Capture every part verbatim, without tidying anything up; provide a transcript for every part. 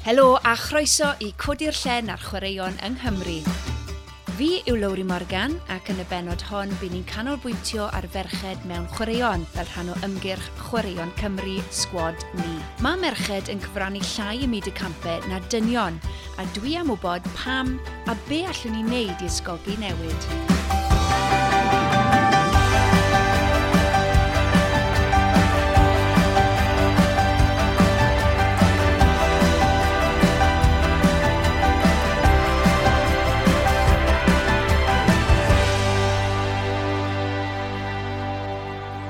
Helo a chroeso i Codi'r Llen ar Chwaraeon yng Nghymru. Fi yw Lowri Morgan ac yn y bennod hon by ni'n canolbwyntio ar ferched mewn chwaraeon fel rhan o ymgyrch Chwaraeon Cymru Sgwad Ni. Mae merched yn cyfrannu llai ym myd y campau na dynion a dwi am wybod pam a be allwn ni wneud i ysgogi newid.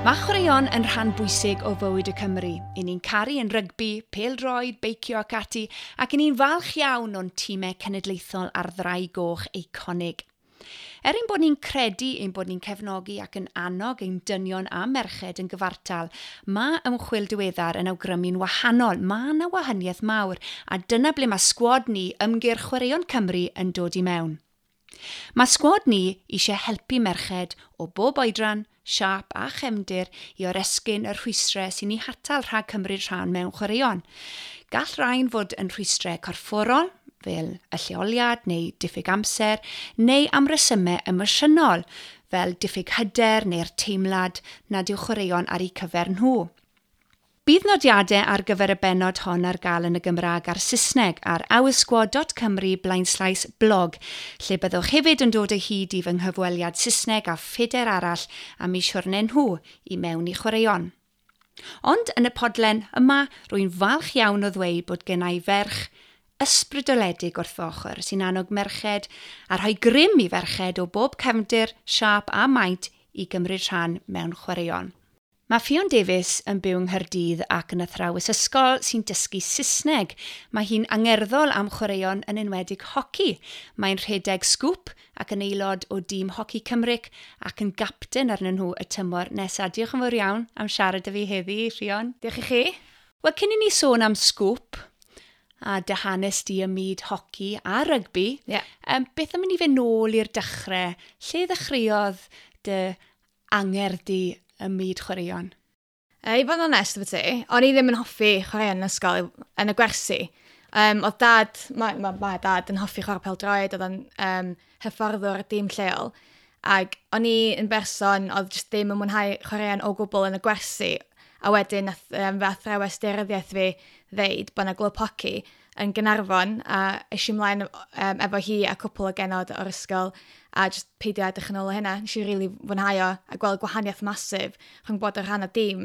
Mae chwaraeon yn rhan bwysig o fywyd y Cymru. I ni'n caru yn rygbi, pêl-droed, beicio ac ati, ac i ni'n falch iawn o'n tîmau cenedlaethol a'r Ddraig Goch eiconig. Er ein bod ni'n credu ein bod ni'n cefnogi ac yn annog ein dynion a merched yn gyfartal, mae ymchwil diweddar yn awgrymu'n wahanol. Mae yna wahaniaeth mawr, a dyna ble mae Sgwad Ni ymgyrch Chwaraeon Cymru yn dod i mewn. Mae Sgwad Ni eisiau helpu merched o bob oedran, siâp a chefndir i oresgyn y rhwystrau sy'n eu hatal rhag cymryd rhan mewn chwaraeon. Gall rhain fod yn rhwystrau corfforol, fel y lleoliad neu diffyg amser, neu am resymau emosiynol, fel diffyg hyder neu'r teimlad nad yw chwaraeon ar eu cyfer nhw. Bydd nodiadau ar gyfer y bennod hon ar gael yn y Gymraeg a'r Saesneg ar oursquad dot cymru blaenslaes blog, lle byddwch hefyd yn dod o hyd i fy nghyfweliad Saesneg a phedair arall am eu siwrne nhw i mewn i chwaraeon. Ond yn y podlen yma, rwy'n falch iawn o ddweud bod gennai ferch ysbrydoledig wrth fy ochr sy'n annog merched a rhoi grym i ferched o bob cefndir, siâp a maint i gymryd rhan mewn chwaraeon. Mae Ffion Davies yn byw yng Nghaerdydd ac yn athrawes ysgol sy'n dysgu Saesneg. Mae hi'n angerddol am chwaraeon, yn enwedig hoci. Mae'n rhedeg Sgŵp ac yn aelod o dîm Hoci Cymru ac yn gapten arnyn nhw y tymor nesaf. Diolch yn fawr iawn am siarad â fi heddi, Ffion. Diolch i chi. Wel, cyn i ni sôn am Sgŵp a dy hanes di ym myd hoci a rygbi, yeah. um, beth am i ni fynd nôl i'r dechrau? Lle ddechreuodd dy angerdd di ym myd chwaraeon? E, I fod yn onest efo ti, o'n i ddim yn hoffi chwaraeon yn ysgol, yn y gwersi. Um, oedd dad, mae, ma, ma dad yn hoffi chwarae pêl-droed, oedd o'n um, hyfforddwr y dîm lleol. Ac o'n i yn berson oedd jyst ddim yn mwynhau chwaraeon o gwbl yn y gwersi. A wedyn nath um, fy athrawes daearyddiaeth fi ddeud bod yna glwb hoci yn Gaernarfon, a es i ymlaen um, efo hi a cwpl o genod o'r ysgol a just peidio edrych yn ôl o hynna. Nes i really fwynhau o a gweld gwahaniaeth masif rhwng bod yn rhan o dîm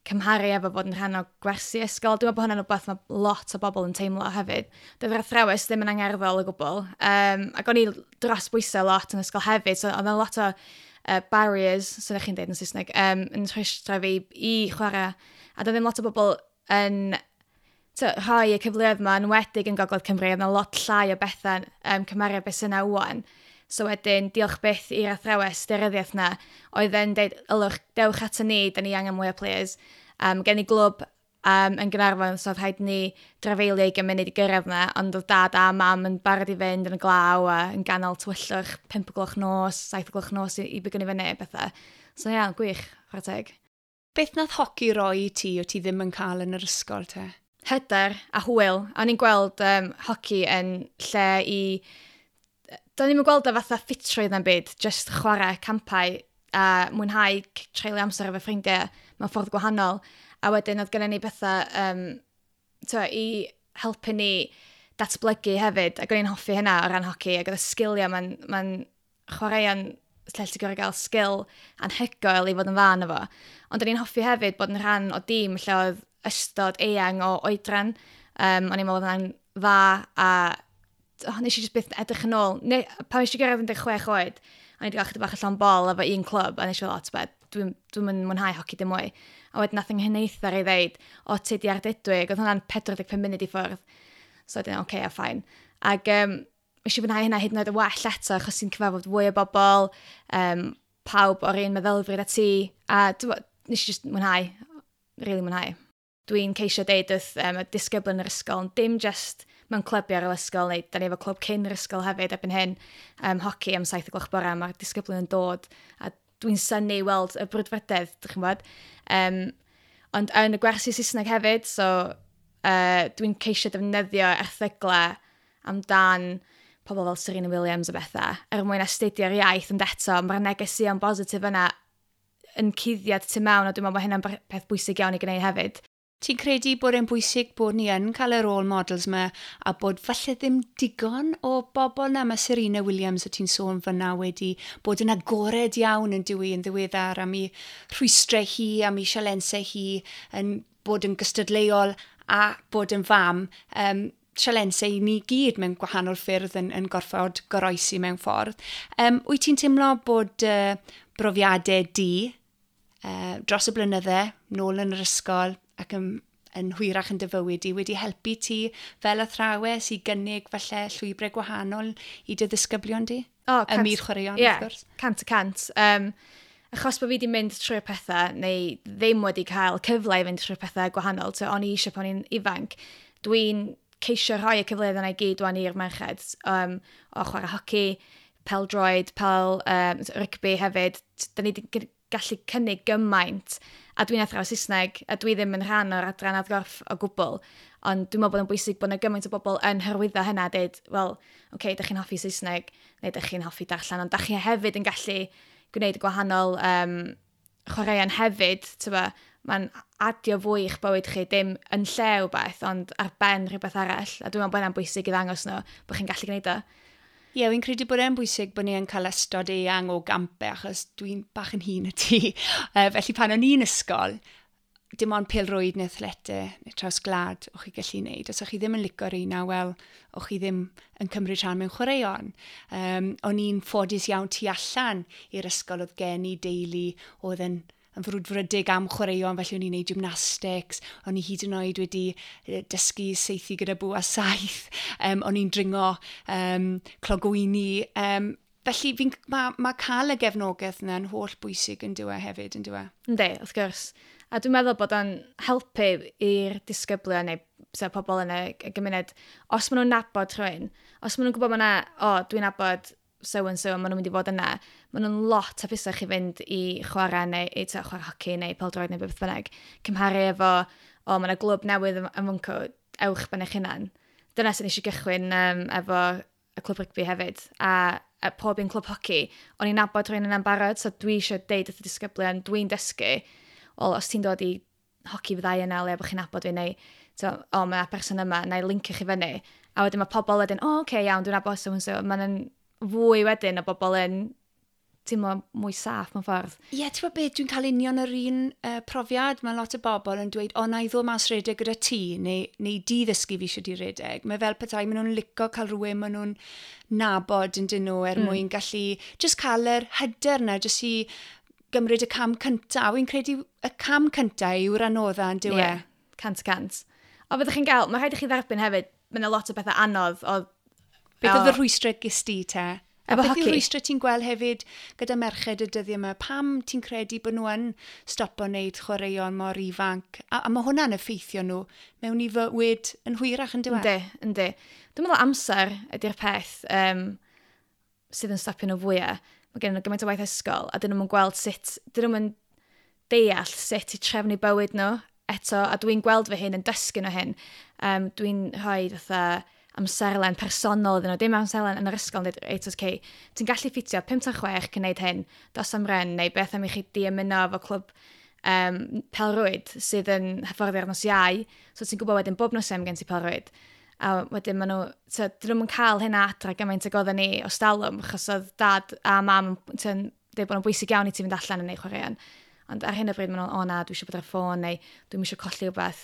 cymharu efo bod yn rhan o gwersi ysgol. Dwi'n meddwl bod hwnna'n rhywbeth mae lot o bobl yn teimlo hefyd. Doedd yr athrawes ddim yn angerddol o gwbl. Um, ac o'n i dros bwysau lot yn ysgol hefyd, so oedd yna lot o uh, barriers, so chi'n dweud yn Saesneg, um, yn rhwystro fi i chwarae. A doedd ddim lot o bobl yn to, rhoi y cyfleoedd yma, yn enwedig yn Gogledd Cymru, oedd yna lot llai o bethau um, cymharu â beth sy'n yna wan. So wedyn, diolch byth i'r athrawes daearyddiaeth na, oedd yn dweud, "Ylwch, dewch ato ni, da ni angen mwy o players." Um, gen i glwb um, yn Gaernarfon, so oedd rhaid ni drafeilio i munud i gyrraedd na, ond oedd dad a mam yn barod i fynd yn y glaw a yn ganol tywyllwch, pump o gloch nos, saith o gloch nos i, i bigo ni fyny, bethau. So ie, yeah, gwych, chwarae teg. Beth nath hoci roi i ti o ti ddim yn cael yn yr ysgol te? Hyder a hwyl. A o'n i'n gweld um, hoci yn lle i... Do'n i'm yn gweld o fatha ffitrwydd na'n byd, just chwarae campau a mwynhau treulio amser efo ffrindiau mewn ffordd gwahanol. A wedyn oedd gennym ni bethau um, to, i helpu ni datblygu hefyd, ac o'n i'n hoffi hynna o ran hoci, ac oedd y sgiliau, mae'n ma chwaraeon lle ti'n gorfod gael sgil anhygoel i fod yn dda yno fo. Ond o'n i'n hoffi hefyd bod yn rhan o dîm lle oedd ystod eang o oedran. Um, o'n i'n meddwl oedd hwnna'n dda a oh, nes i just byth edrych yn ôl. Ne, pan nes i gyrraedd un deg chwech oed, o'n i wedi cael chydig bach o llond bol efo un clwb, a nes i fel, "O, t'beth, dwi'n dwi mynd mwynhau hoci dim mwy." A wedyn nath 'y nghyfnither i ddeud, "O, ti di Ardudwy," oedd hwnna'n pedwar deg pump munud i ffwrdd. So wedyn, oce, okay, a fine. Ac um, nes i fwynhau hynna hyd yn oed yn well eto, achos ti'n cyfarfod fwy o bobl, um, pawb o'r un meddylfryd a ti, a dwi, nes i just mwynhau, really mwynhau. Dwi'n ceisio deud wrth um, y disgybl yn yr ysgol, ond dim just mewn clybiau ar yr ysgol, neu da ni efo clwb cyn yr ysgol hefyd erbyn hyn, um, hoci am saith o gloch bore, mae'r disgyblion yn dod, a dwi'n synnu i weld y brwdfrydedd, dych chi'n gwybod. Um, ond yn y gwersi Saesneg hefyd, so Uh, dwi'n ceisio defnyddio erthyglau amdan pobl fel Serena Williams a bethau, er mwyn astudio'r iaith, ond eto, mae'r negeseuon bositif yna yn cuddiad tu mewn, a dwi'n meddwl bod hynna'n peth bwysig iawn i gwneud hefyd. Ti'n credu bod e'n bwysig bod ni yn cael y role models yma a bod falle ddim digon o bobl na? Mae Serena Williams, o ti'n sôn fyna, wedi bod yn agored iawn yn dywi yn ddiweddar am ei rhwystrau hi, am ei sialensau hi, yn bod yn gystadleuol a bod yn fam. Um, sialensau i ni gyd mewn gwahanol ffyrdd yn, yn gorfod goroesi mewn ffordd. Um, wyt ti'n teimlo bod uh, brofiadau di uh, dros y blynydde, nôl yn yr ysgol ac yn, yn hwyrach yn dy fywyd i, wedi helpu ti fel athrawes i gynnig falle llwybrau gwahanol i dy ddisgyblion di? O, cant, ym myd chwaraeon, yeah, wrth gwrs. Cant y cant. Um, achos bod fi wedi mynd trwy'r pethau, neu ddim wedi cael cyfle i fynd trwy'r pethau gwahanol, so o'n i eisiau pan i'n ifanc, dwi'n ceisio rhoi y cyfleoedd yna i gyd wan i'r merched, um, o chwarae hoci, pel-droed, pel, um, rygbi hefyd. Da ni wedi gallu cynnig gymaint, a dwi'n athro Saesneg, a dwi ddim yn rhan o'r adran adgorff o gwbl, ond dwi'n meddwl bod yn bwysig bod yna gymaint o bobl yn hyrwyddo hynna, dweud, wel, oce, okay, dych chi'n hoffi Saesneg, neu dych chi'n hoffi darllen, ond dych chi hefyd yn gallu gwneud gwahanol um, chwaraeon hefyd, tyba, mae'n adio fwy i'ch bywyd chi, dim yn lle wbeth, ond ar ben rhywbeth arall, a dwi'n meddwl bod hynna'n bwysig i ddangos nhw bod chi'n gallu gwneud o. Ie, yeah, fi'n credu bod e'n bwysig bod ni yn cael ystod eang o gampau, achos dwi'n bach yn hŷn na ti. Uh, felly pan o'n i'n ysgol, dim ond pêl-rwyd neu athletau neu traws gwlad o'ch chi gallu wneud. Os o'ch chi ddim yn lico'r un, wel, o'ch chi ddim yn cymryd rhan mewn chwaraeon. Um, o'n i'n ffodus iawn tu allan i'r ysgol, oedd gen i deulu oedd yn yn frwdfrydig am chwaraeon, felly o'n i'n neud gymnastics, o'n i hyd yn oed wedi dysgu saethu gyda bwa saeth, um, o'n i'n dringo um, clogwyni. Um, felly fi'n, mae ma cael y gefnogaeth yna yn holl bwysig yn dywe hefyd, yn dywe? Yndi, wrth gwrs. A dwi'n meddwl bod o'n helpu i'r disgyblion neu sef pobl yn y, y gymuned, os maen nhw'n nabod rhywun, os maen nhw'n gwybod ma' 'na, o, dwi'n nabod so and so, maen nhw'n mynd i fod yna, maen nhw'n lot hapusach i fynd i chwarae neu i ta, chwarae hoci neu pêl-droed neu beth bynnag, cymharu efo, o, mae yna glwb newydd yn fwnco, ewch ben eich hunan. Dyna sy'n eisiau gychwyn um, efo y clwb rygbi hefyd, a, a pob un clwb hoci, o'n i'n nabod rhywun yna'n barod, so dwi eisiau deud wrth y disgyblion, dwi'n dysgu, wel, os ti'n dod i hoci fyddai yna, le bod chi'n nabod fi, neu, so, o, mae person yma, na i linkio chi fyny. A wedyn mae pobl wedyn, o, oce, okay, iawn, dwi'n nabod so and so. Mae'n fwy wedyn o bobl yn teimlo mwy saff mewn ffordd. Ie, yeah, ti'n gwybod beth, dwi'n cael union yr un uh, profiad. Mae lot o bobl yn dweud, o, na i ddod mas redeg gyda ti, neu, neu di ddysgu fi eisiau di redeg. Mae fel petai, maen nhw'n licio cael rhywun maen nhw'n nabod yn dyn nhw er mm. mwyn gallu just cael yr hyder na, just i gymryd y cam cyntaf. Wy'n credu y cam cyntaf yw'r anodda yn dyw e. Yeah, cant y cant. O, fyddwch chi'n gael, mae rhaid i chi dderbyn hefyd, mae yna lot o bethau anodd. O, Beth oedd y rhwystrau ges di te? A Efo beth yw'r hoci? rhwystrau ti'n gweld hefyd gyda merched y dyddiau yma? Pam ti'n credu bod nhw yn stopo wneud chwaraeon mor ifanc? A, a mae hwnna'n effeithio nhw mewn i fywyd yn hwyrach yn dyw e? Yndi, yndi. Dwi'n meddwl amser ydy'r peth um, sydd yn stopio nhw fwyaf. Mae gen nhw gymaint o waith ysgol a dyn nhw'n gweld sut, dyn nhw'n deall sut i trefnu bywyd nhw eto, a dwi'n gweld fy hun yn dysgu nhw hyn. Um, dwi'n rhoi fatha amserlen personol iddyn nhw, dim amserlen yn yr ysgol yn dweud, reit, okay, ti'n gallu ffitio pump tan chwech cyn gwneud hyn, dos am run, neu beth am i chi di ymuno efo clwb um, pelrwyd sydd yn hyfforddi ar nos Iau, so ti'n gwybod wedyn bob nos Iau gen ti pelrwyd. A wedyn maen nhw, so, dyn nhw'n cael hynna adra gymaint ag oedden ni o stalwm, achos oedd dad a mam yn dweud bod nhw'n bwysig iawn i ti fynd allan yn neud chwaraeon. Ond ar hyn o bryd maen nhw'n, o na, dwi eisiau bod ar y ffôn, neu dwi'n eisiau colli rhywbeth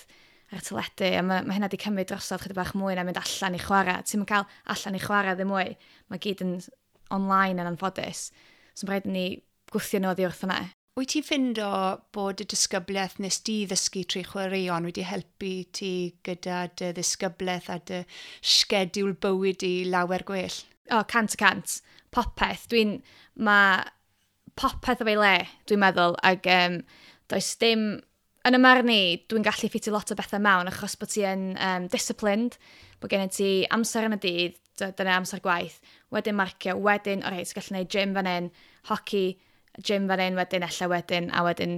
ar y teledu, a mae, mae hynna wedi cymryd drosodd chydig bach mwy na mynd allan i chwarae. Ti'n cael allan i chwarae ddim mwy. Mae gyd yn online yn anffodus. So mae'n rhaid i ni gwthio nhw oddi wrth hwnna. Wyt ti'n ffindo bod y disgyblaeth nes di ddysgu trwy chwaraeon wedi helpu ti gyda dy ddisgyblaeth a dy sgediwl bywyd i lawer gwell? O, cant y cant. Popeth. Dwi'n, mae popeth o ei le, dwi'n meddwl, ac um, does dim, yn y marn i, dwi'n gallu ffitio lot o bethau mewn achos bod ti yn um, disciplined, bod gen ti amser yn y dydd, dyna amser gwaith, wedyn marcio, wedyn, o reit, ti'n gallu gwneud gym fan hyn, hoci, gym fan hyn, wedyn, ella wedyn, a wedyn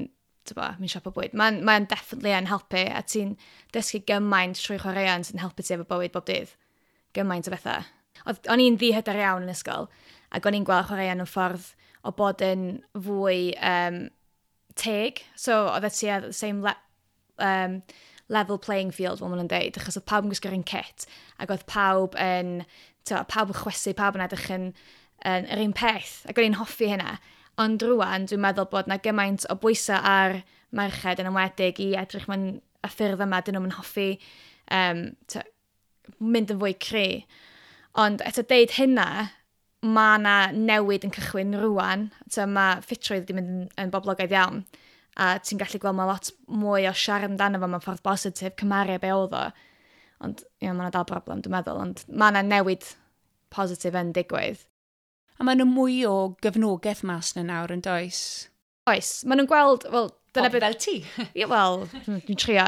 Bo, mynd siop o bwyd. Mae'n mae definitely yn helpu, a ti'n dysgu gymaint trwy chwaraeon sy'n helpu ti efo bywyd bob dydd. Gymaint o bethau. Oedd, o'n i'n ddihyder iawn yn ysgol, ac o'n i'n gweld chwaraeon yn ffordd o bod yn fwy um, teg. So, oedd e ti the same le um, level playing field, fel maen nhw'n deud, achos oedd pawb yn gwisgo'r un kit, ac oedd pawb yn, to, pawb yn chwysu, pawb yn edrych yn, yn yr un peth, ac o'n i'n hoffi hynna. Ond rwan, dwi'n meddwl bod na gymaint o bwysau ar merched yn enwedig i edrych mewn y ffyrdd yma, dyn nhw'n hoffi um, to, mynd yn fwy cry. Ond eto deud hynna, mae yna newid yn cychwyn rwan. So, mae ffitrwydd wedi mynd yn, yn boblogaidd iawn. A ti'n gallu gweld mae lot mwy o siarad amdano fo mewn ffordd bositif, cymharu be oedd o. Ond you know, mae yna dal broblem, dwi'n meddwl. Ond mae yna newid positif yn digwydd. A mae yna mwy o gefnogaeth mas na nawr yn does? Oes. Maen nhw'n gweld, wel, dyna beth... Fel ti? Ie, wel, dwi'n trio.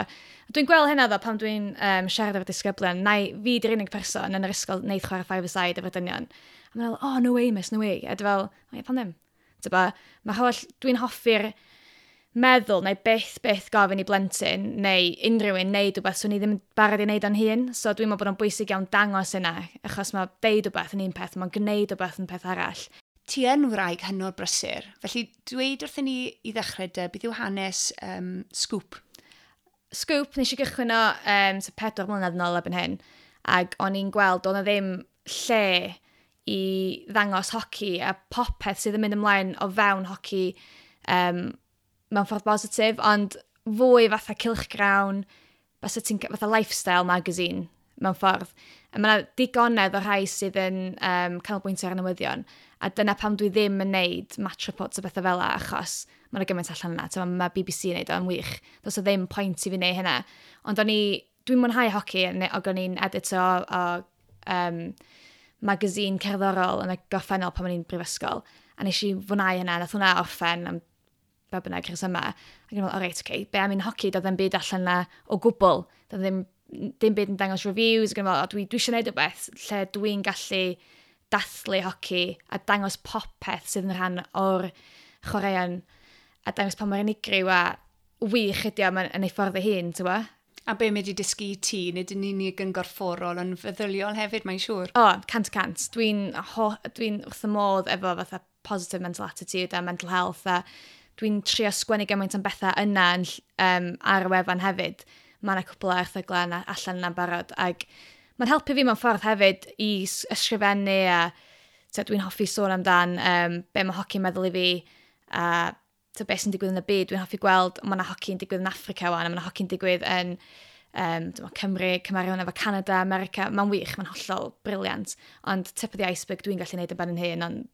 Dwi'n gweld hynna ddo pan dwi'n um, siarad efo'r disgyblion. Na, fi di'r unig person yn yr ysgol wneud chwarae five aside efo'r dynion. A maen nhw'n fel, "Oh, no way, miss, no way." A dwi fel, "Oh, ie, pan ddim?" Tyba, mae holl, dwi'n hoffi'r meddwl neu byth byth gofyn i blentyn neu unrhyw un neud rhywbeth swn i ddim yn barod i wneud o'n hun. So dwi'n meddwl bod o'n bwysig iawn dangos yna, achos mae deud rhywbeth yn un peth, mae'n gwneud rhywbeth yn peth arall. Ti yn wraig hynod brysur, felly dweud wrthyn ni i ddechrau dy, beth yw hanes um, Scoop? Scoop, nes i gychwyn o um, so pedwar mlynedd yn ôl erbyn hyn, ac o'n i'n gweld oedd 'na ddim lle i ddangos hoci a popeth sydd yn mynd ymlaen o fewn hoci um, mewn ffordd bositif, ond fwy fatha cylchgrawn, basa ti'n fatha lifestyle magazine mewn ffordd. A mae yna digonedd o rhai sydd yn um, canolbwyntio ar y newyddion, a dyna pam dwi ddim yn neud match reports o bethau fel 'a, achos mae yna gymaint allan yna. Mae ma B B C yn neud o'n wych. Does o ddim pwynt i fi wneud hynna. Ond o'n i, dwi'n mwynhau hoci, ac o'n i'n editor o, o um, magazine cerddorol yn y gorffennol pan o'n i'n brifysgol. A nes i fwynhau hynna, nath hwnna orffen am be bynnag rhesymau. Ac o'n i'n meddwl, o reit, oce, okay, be am un hoci, doedd ddim byd allan na o gwbl. Doedd ddim, dim byd yn dangos reviews. Ac o'n i'n meddwl, o, dwi, dwi eisiau gwneud rhywbeth lle dwi'n gallu dathlu hoci a dangos popeth sydd yn rhan o'r chwaraeon a dangos pa mor unigryw a wych ydi o yn ei ffordd ei hun, ti'n A be mae wedi dysgu i ti, nid yn unig yn gorfforol, ond feddyliol hefyd, mae'n siŵr. O, cant cant. Dwi'n dwi wrth y modd efo fatha positive mental attitude a mental health a dwi'n trio sgwennu gymaint am bethau yna yn, um, ar y wefan hefyd. Mae yna cwpl o erthyglau yna allan yna'n barod. Ac mae'n helpu fi mewn ffordd hefyd i ysgrifennu a dwi'n hoffi sôn amdan um, be mae hoci'n meddwl i fi a to, beth sy'n digwydd yn y byd. Dwi'n hoffi gweld, mae yna hoci'n digwydd yn Africa wan, a mae yna hoci'n digwydd yn um, Cymru, cymharu hwnna efo Canada, America. Mae'n wych, mae'n hollol brilliant. Ond tip of the iceberg dwi'n gallu gwneud yn ben yn hun, ond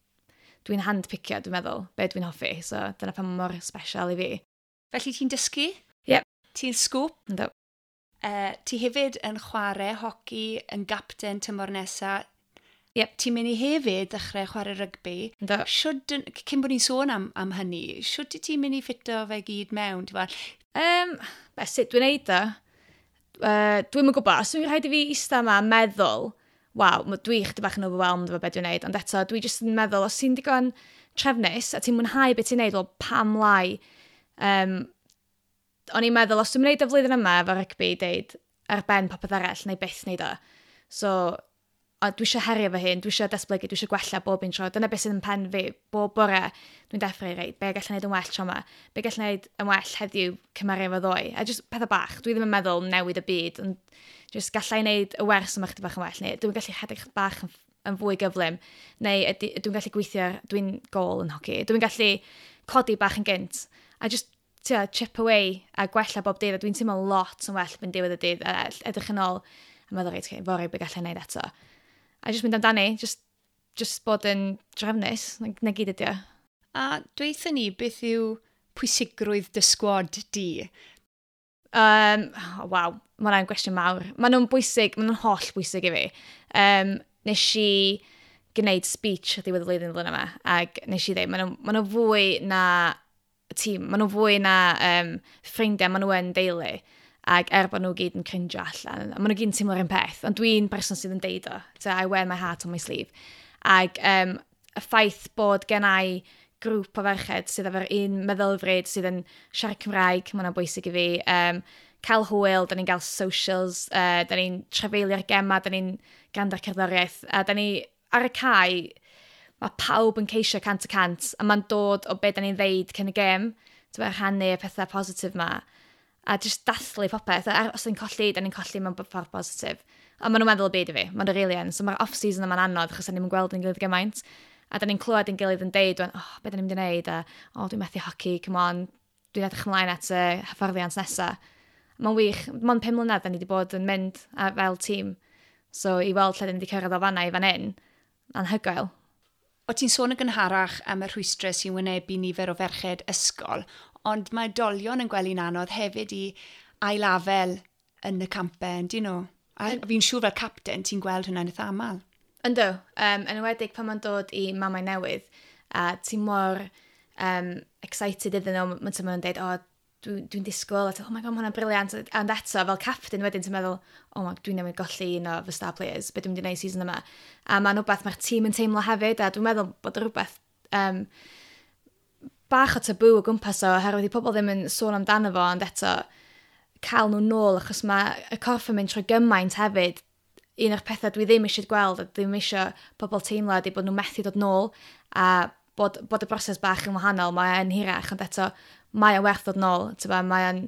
dwi'n handpicio, dwi'n meddwl, be dwi'n hoffi. So dyna pam mor special i fi. Felly ti'n dysgu? Yep. Ti'n Scoop? Yndw. Uh, ti hefyd yn chwarae hoci yn gapten tymor nesaf. Yep. Ti'n mynd i hefyd ddechrau chwarae rygbi. Yndw. Shwd, cyn bod ni'n sôn am, am hynny, shwd ti'n mynd i ffito fe gyd mewn? Um, be, sut dwi'n neud o? Uh, dwi'n yn gwybod, os dwi'n rhaid i fi eistedd yma a meddwl, waw, dwi chydig bach yn overwhelmed efo beth dwi'n neud, ond eto, dwi jyst yn meddwl, os ti'n digon trefnus a ti'n mwynhau beth ti'n neud, wel, pam lai? Um, o'n i'n meddwl, os dwi'n gwneud y flwyddyn yma efo rygbi, deud, ar ben popeth arall, neu byth neud o. So, a dwi eisiau herio fy hun, dwi eisiau datblygu, dwi eisiau gwella bob un tro. Dyna beth sydd yn pen fi, bob bore, dwi'n deffro i reit, be gallai wneud yn well tro yma, be gallai wneud yn well heddiw cymharu efo ddoe. A just pethau bach, dwi ddim yn meddwl newid y byd, ond just gallai wneud y wers yma chydig bach yn well, neu dwi'n gallu rhedeg bach yn, yn fwy gyflym, neu dwi'n gallu gweithio, dwi'n gôl yn hoci, dwi'n gallu codi bach yn gynt, a just tia, chip away a gwella bob dydd, a dwi'n teimlo lot yn well yn diwedd y dydd, a edrych yn ôl, a meddwl, reit, okay, fory be gallai wneud eto. A just mynd amdani, just, just bod yn drefnus, na, na gyd ydi o. A dweutha ni, beth yw pwysigrwydd dy sgwad di? Um, oh, waw, mae hwnna'n gwestiwn mawr. Maen nhw'n bwysig, maen nhw'n holl bwysig i fi. Um, nes i gwneud speech ar ddiwedd y flwyddyn flwyddyn yma, ac nes i ddweud, maen nhw, maen nhw fwy na tîm, maen nhw fwy na um, ffrindiau, maen nhw yn deulu. Ac er bod nhw gyd yn crinjo allan, a maen nhw gyd yn teimlo'r un peth, ond dwi'n person sydd yn deud o. So I wear my heart on my sleeve. Ac um, y ffaith bod gen i Grŵp o ferched sydd efo'r un meddylfryd, sydd yn siarad Cymraeg, mae hwnna'n bwysig i fi. Um, cael hwyl, da ni'n cael socials, uh, da ni'n trafeilio'r gema, da ni'n gwrando ar cerddoriaeth, a da ni ar y cae, mae pawb yn ceisio cant y cant, a mae'n dod o be da ni'n ddeud cyn y gêm, ti'n rhannu y pethau positif ma, a just dathlu popeth. A os ni'n colli, da ni'n colli mewn ffordd positif. A maen nhw'n meddwl y byd i fi, maen nhw'n really yn. So mae'r off-season yma'n anodd, achos da ni'n gweld yn gilydd gymaint. A da ni'n clywed yn gilydd yn deud, "Oh, be da ni'n mynd i wneud?" A "Oh, dwi'n methu hoci, come on, dwi'n edrych ymlaen at y hyfforddiant nesaf." Mae'n wych, mae'n pum mlynedd da ni wedi bod yn mynd a, fel tîm. So i weld lle da ni wedi cyrraedd o fanna i fan hyn, anhygoel. O ti'n sôn yn gynharach am y rhwystrau sy'n wynebu nifer o ferched ysgol, ond mae oedolion yn gweld hi'n anodd hefyd i ailafel yn y campau, dyn nhw? A fi'n siŵr fel capten ti'n gweld hwnna'n eitha aml. Yndw, um, yn enwedig pan mae'n dod i mamau newydd, a ti'n mor um, excited iddyn nhw, mae'n nhw'n dweud, "O, oh, dwi'n dwi disgwyl," a ti'n, "Oh my God, mae hwnna'n brilliant." Ond eto, fel captain wedyn, ti'n meddwl, "Oh my, dwi'n newydd golli un o fy star players, beth dwi'n mynd i wneud season yma?" A mae'n rhywbeth mae'r tîm yn teimlo hefyd, a dwi'n meddwl bod rhywbeth um, bach o tabw o gwmpas o, oherwydd i pobl ddim yn sôn amdano fo, ond eto, cael nhw nôl, achos mae y corff yn mynd trwy gymaint hefyd. Un o'r pethau dwi ddim eisiau gweld, a ddim eisiau pobl teimlo ydy bod nhw'n methu dod nôl, a bod, bod y broses bach yn wahanol, mae'n hirach, ond eto, mae o'n werth dod nôl. Mae'n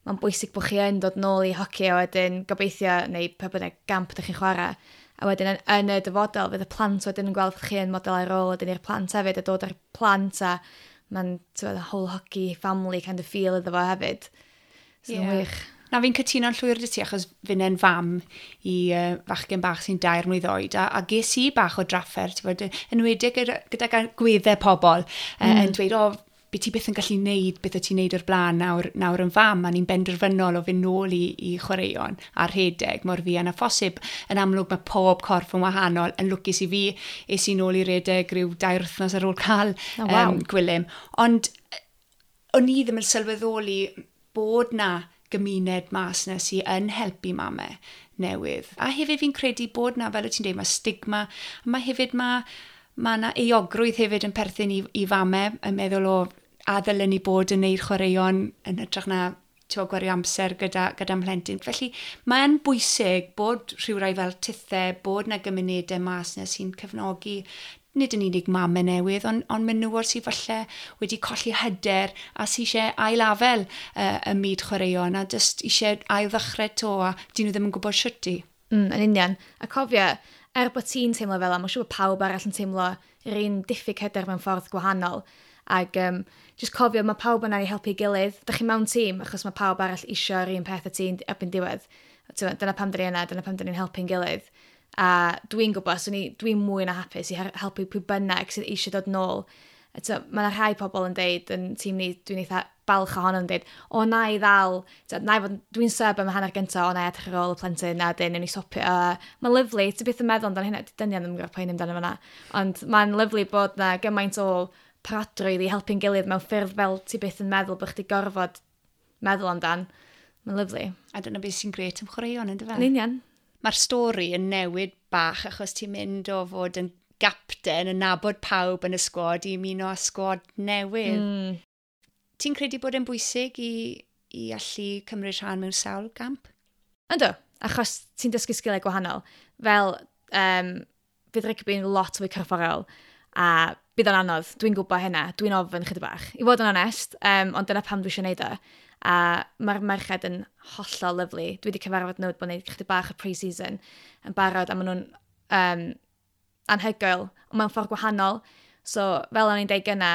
mae'n bwysig bod chi yn dod nôl i hoci a wedyn gobeithio, neu pa bynnag gamp ydych chi'n chwarae. A wedyn yn, yn y dyfodol, fydd y plant wedyn yn gweld chi yn model ar ôl wedyn i'r plant hefyd, a dod ar plant a mae'n whole hockey family kind of feel iddo fo hefyd. So yeah. Wych. Na, fi'n cytuno'n llwyr 'da ti achos fi'n fam i uh, fachgen bach sy'n dair mlwydd oed a, a ges i bach o drafferth, ti'n bod, enwedig gyda, gyda gweddau pobl mm. uh, yn dweud, "O, beth ti byth yn gallu neud beth o ti'n neud o'r blaen nawr, nawr yn fam," a ni'n benderfynol o fynd nôl i, i chwaraeon a rhedeg mor fuan â phosib. Yn amlwg mae pob corff yn wahanol, yn lwcus i fi, es i nôl i redeg rhyw dair wythnos ar ôl cael oh, wow. um, Gwilym. Ond o'n i ddim yn sylweddoli bod na gymuned mas na sy'n yn helpu mamau newydd. A hefyd fi'n credu bod na, fel y ti'n dweud, mae stigma, a mae hefyd mae mae yna euogrwydd hefyd yn perthyn i, i famau yn meddwl o a ddylen ni bod yn neud chwaraeon yn hytrach na ti'n gwario amser gyda, gyda mhlentyn. Felly mae'n bwysig bod rhywrai fel tithe, bod na gymunedau mas na sy'n cefnogi nid yn unig mamau newydd, ond, ond menywod sydd falle wedi colli hyder a sydd eisiau ailafel uh, y myd chwaraeon a jyst eisiau ail ddechrau to a dyn nhw ddim yn gwybod sut i. Mm, yn union. A cofio, er bod ti'n teimlo fel 'na, mae'n siŵr bod pawb arall yn teimlo yr un diffyg hyder mewn ffordd gwahanol. Ac um, just cofio, mae pawb yna i helpu gilydd. Dych chi mewn tîm, achos mae pawb arall eisiau'r un peth a ti'n erbyn diwedd. Dyna pam dyn ni yna, dyna pam dyn ni'n helpu'n gilydd. A dwi'n gwybod, so dwi'n mwy na hapus i helpu pwy bynnag sydd eisiau dod nôl. Eto, mae yna rhai pobl yn deud yn tîm ni, dwi'n eitha balch ohono yn deud, "O, na i ddal, na i fod, dwi'n sub am y hanner gyntaf, o, na i edrych ar ôl y plentyn, a dyn, newn ni swapio." A mae'n lyfli, ti byth yn meddwl amdano hynna, dynion ddim yn gwybod poeni amdano fyna. Ond mae'n lyfli bod na gymaint o parodrwydd i helpu'n gilydd mewn ffyrdd fel ti byth yn meddwl bod chdi gorfod meddwl amdan. Mae'n lyfli. A dyna beth sy'n grêt am chwaraeon, ynddo fe? Yn union. Mae'r stori yn newid bach achos ti'n mynd o fod yn gapten, yn nabod pawb yn y sgwad i ymuno â sgwad newydd. Mm. Ti'n credu bod e'n bwysig i, i allu cymryd rhan mewn sawl gamp? Yndw, achos ti'n dysgu sgiliau gwahanol. Fel, um, fydd rygbi'n lot fwy corfforol a bydd o'n anodd, dwi'n gwybod hynna, dwi'n ofn chydig bach. I fod yn onest, um, ond dyna pam dwi eisiau gwneud o. A mae'r merched yn hollol lyfli. Dwi wedi cyfarfod nhw, bod nhw'n chydig bach o pre-season yn barod, a maen nhw'n um, anhygoel, ond mewn ffordd gwahanol. So, fel o'n i'n deud gynna,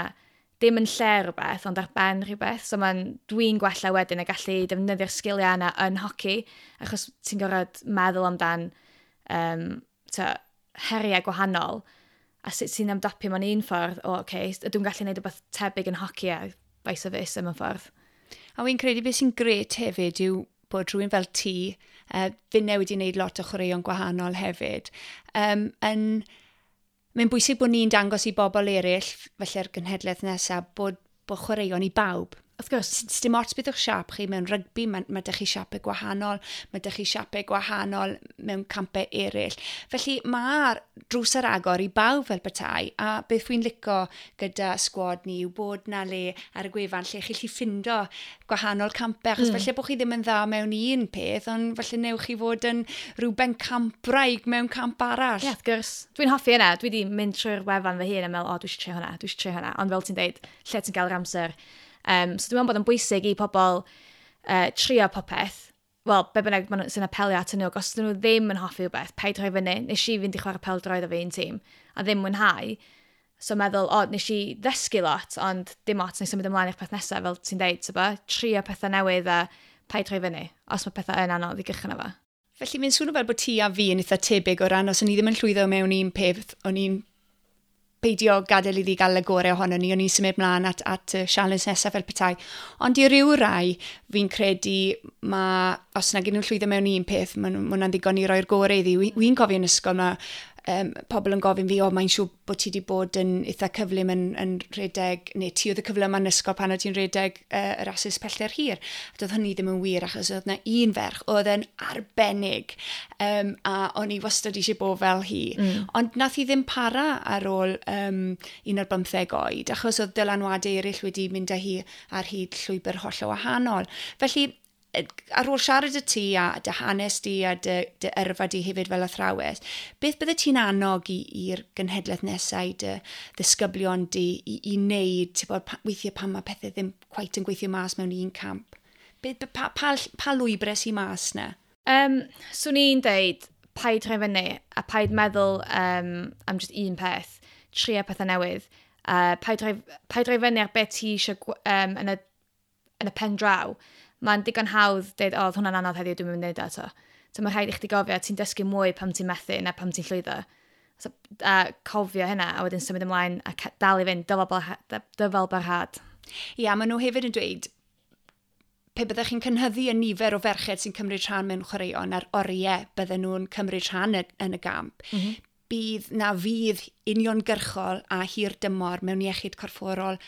dim yn lle rhywbeth, ond ar ben rhywbeth. So mae'n, dwi'n gwella wedyn a gallu defnyddio'r sgiliau yna yn hoci, achos ti'n gorfod meddwl amdan um, ta, heriau gwahanol, a sut ti'n ymdopi mewn un ffordd, o, oce, okay, ydw i'n gallu gwneud rhywbeth tebyg yn hoci a vice versa mewn ffordd. A wy'n credu beth sy'n grêt hefyd yw bod rhywun fel ti, uh, finne wedi wneud lot o chwaraeon gwahanol hefyd, um, yn, mae'n bwysig bod ni'n dangos i bobl eraill, felly'r genhedlaeth nesaf, bod, bod chwaraeon i bawb. Wrth gwrs. Dim ots beth o'ch siap chi mewn rygbi, mae, mae 'da chi siapau gwahanol, mae 'da chi siapau gwahanol mewn campau eraill. Felly mae'r drws ar agor i bawb fel petai, a beth wy'n lico gyda sgwad ni yw bod na le ar y gwefan lle chi gallu ffindo gwahanol campau, achos mm. falle bod chi ddim yn dda mewn un peth, ond falle newch chi fod yn rhyw bencampwraig mewn camp arall. Ie, yeah, wrth gwrs. Dwi'n hoffi yna. Dwi wedi mynd trwy'r wefan fy hun a meddwl, o, dwi eisiau trio hwnna, dwi eisiau trio hwnna. Ond fel ti'n deud, lle ti'n gael yr amser. Um, so dwi'n meddwl bod yn bwysig i pobl uh, trio popeth. Wel, be bynnag maen nhw sy'n apelio at nhw, os dyn nhw ddim yn hoffi rhywbeth, paid rhoi fyny. Nes i fynd i chwarae pêl-droed efo un tîm, a ddim mwynhau. So meddwl, o, nes i ddysgu lot, ond dim ots, nes i symud ymlaen i'r peth nesaf, fel ti'n deud, so ba, trio pethau newydd a paid rhoi fyny, os mae pethau yn anodd i gychwyn efo. Felly mae'n swnio fel bod ti a fi yn eitha tebyg o ran os o'n i ddim yn llwyddo mewn un peth, o'n i'n peidio gadael iddi gael y gorau ohono ni, o'n i'n symud mlaen at, at y sialens nesaf fel petai. Ond i ryw rai, fi'n credu ma, os nag nhw'n llwyddo mewn un peth, mae hwnna'n ddigon i roi'r gorau iddi. Wy'n cofio yn ysgol mae um, pobl yn gofyn fi, o, mae'n siŵr bod ti wedi bod yn eitha cyflym yn, yn rhedeg, neu ti oedd y cyflym yn ysgol pan oedd ti'n rhedeg uh, y rasys pellter hir. A doedd hynny ddim yn wir, achos oedd yna un ferch oedd yn arbennig, um, a o'n i wastad eisiau bod fel hi. Mm. Ond nath hi ddim para ar ôl um, un o'r bymtheg oed, achos oedd dylanwadau eraill wedi mynd â hi ar hyd llwybr hollol wahanol. Felly, ar ôl siarad y ti a dy hanes di a dy, dy yrfa di hefyd fel athrawes, beth bydde ti'n annog i'r genhedlaeth nesau, dy ddisgyblion di i, i wneud, ti'n bod, weithiau pan mae pethau ddim cweit yn gweithio mas mewn un camp? Beth, pa, pa, pa lwybrau sy'n mas na? Um, swn i'n deud, paid rhoi fyny a paid meddwl um, am just un peth, trio pethau newydd. Uh, paid, rhoi, paid rhoi fyny ar beth ti eisiau um, yn, y, yn y pen draw. Mae'n digon hawdd dweud, o, oedd hwnna'n anodd heddiw, dwi'n mynd i wneud o eto. So mae rhaid i chdi gofio, ti'n dysgu mwy pam ti'n methu na pam ti'n llwyddo. So, a cofio hynna, a wedyn symud ymlaen a dal i fynd, dyfal barhad. Ia, maen nhw hefyd yn dweud, pe byddech chi'n cynhyddu y nifer o ferched sy'n cymryd rhan mewn chwaraeon a'r oriau bydden nhw'n cymryd rhan yn y gamp, mm -hmm. bydd na fydd uniongyrchol a hir dymor mewn iechyd corfforol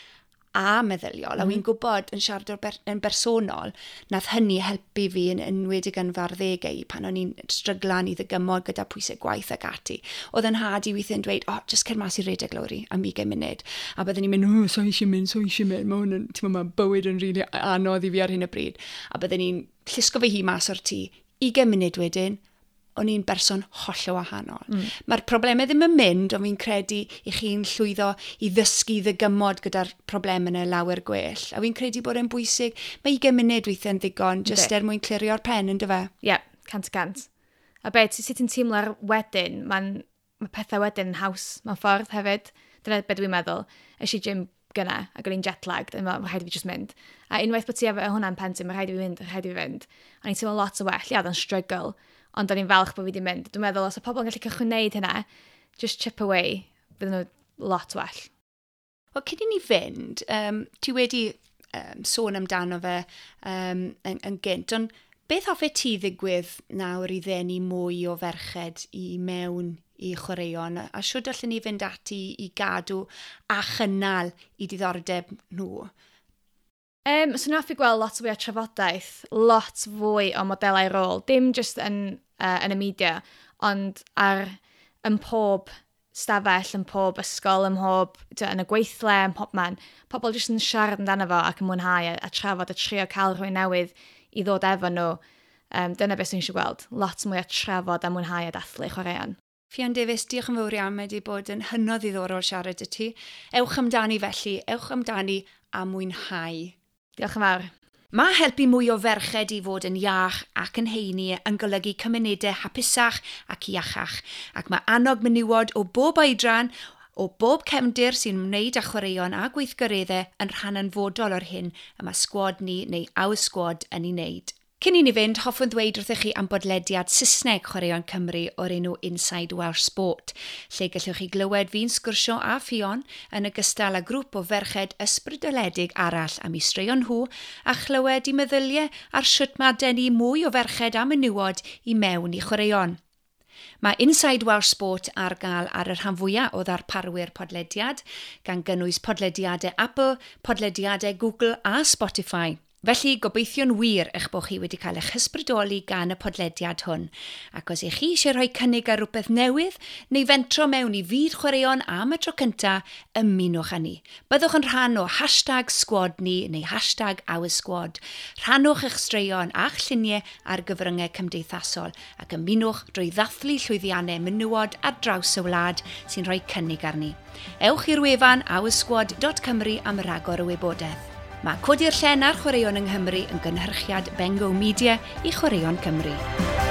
a meddyliol, mm. a wy'n gwybod yn siarad o'r ber, yn bersonol, nath hynny helpu fi yn enwedig yn fy arddegau pan o'n i'n stryglan i ddygymod gyda pwysau gwaith ac ati. Oedd yn nhad i weithiau'n dweud, o, oh, just cer mas i redeg, Lowri, am ugain munud. A byddwn i'n mynd, oh, so eisiau mynd, so eisiau mynd, mae hwn yn, ti'n meddwl, mae bywyd yn rili really anodd i fi ar hyn o bryd. A byddwn i'n llusgo fy hun mas o'r tŷ, ugain munud wedyn, o'n i'n berson hollol wahanol. Mm. Mae'r problemau ddim yn mynd, ond fi'n credu i chi'n llwyddo i ddysgu ddygymod gyda'r problemau yna lawer gwell. A fi'n credu bod e'n bwysig. Mae ugain munud weithiau'n ddigon, jyst er mwyn clirio'r pen, yn dyfe? Ie, yeah, cant y cant. A beth, sut ti'n teimlo'r wedyn, mae'n mae pethau wedyn yn haws mewn ffordd hefyd. Dyna beth dwi'n meddwl. Es i gym gynna, ac o'n i'n jet-lagged, a mae rhaid i fi just mynd. A unwaith bod ti efo hwnna'n pen ti, mae rhaid i fi fynd, rhaid i fi fynd. O'n i'n teimlo lot o well, ia, oedd o'n struggle, ond o'n i'n falch bod fi wedi mynd. Dwi'n meddwl, os y pobl yn gallu cychwyn wneud hynna, just chip away, bydden nhw lot well. Wel, cyn i ni fynd, um, ti wedi um, sôn amdano fe um, yn, yn gynt, ond beth hoffet ti ddigwydd nawr i ddenu mwy o ferched i mewn i chwaraeon, a shwd allen ni fynd ati i gadw a chynnal i diddordeb nhw? Um, so hoffi gweld lot fwy o trafodaeth, lot fwy o modelau rôl, dim just yn, uh, yn y media, ond ar yn pob stafell, yn pob ysgol, yn pob, yn y gweithle, yn pob man. Pobl jyst yn siarad amdano fo ac yn mwynhau a, a trafod a trio cael rhywun newydd i ddod efo nhw. Um, dyna beth sy'n eisiau gweld, lot mwy o trafod a mwynhau a dathlu chwaraeon. Ffion Davies, diolch yn fawr iawn, mae wedi bod yn hynod ddiddorol siarad i ti. Ewch amdani felly, ewch amdani a mwynhau. Diolch yn fawr. Mae helpu mwy o ferched i fod yn iach ac yn heini yn golygu cymunedau hapusach ac iachach. Ac mae annog menywod o bob oedran, o bob cefndir sy'n ymwneud â chwaraeon a gweithgareddau yn rhan anfodol o'r hyn y mae sgwad ni neu Our Squad yn ei wneud. Cyn i ni fynd, hoffwn ddweud wrthych chi am bodlediad Saesneg Chwaraeon Cymru o'r enw Inside Welsh Sport, lle gallwch chi glywed fi'n sgwrsio a Ffion yn ogystal â grŵp o ferched ysbrydoledig arall am eu straeon nhw a chlywed i meddyliau ar sut mae denu mwy o ferched a menywod i mewn i chwaraeon. Mae Inside Welsh Sport ar gael ar y rhan fwyaf o ddarparwyr podlediad, gan gynnwys podlediadau Apple, podlediadau Google a Spotify. Felly, gobeithio'n wir eich bod chi wedi cael eich hysbrydoli gan y podlediad hwn. Ac os ych chi eisiau rhoi cynnig ar rhywbeth newydd neu fentro mewn i fyd chwaraeon am y tro cyntaf, ymunwch â ni. Byddwch yn rhan o hashtag squad ni neu hashtag our squad. Rhannwch eich straeon a'ch lluniau ar gyfryngau cymdeithasol ac ymunwch drwy ddathlu llwyddiannau menywod ar draws y wlad sy'n rhoi cynnig arni. Ewch i'r wefan oursquad dot cymru am ragor o wybodaeth. Mae Codi'r Llen ar Chwaraeon yng Nghymru yn gynhyrchiad Bengo Media i Chwaraeon Cymru.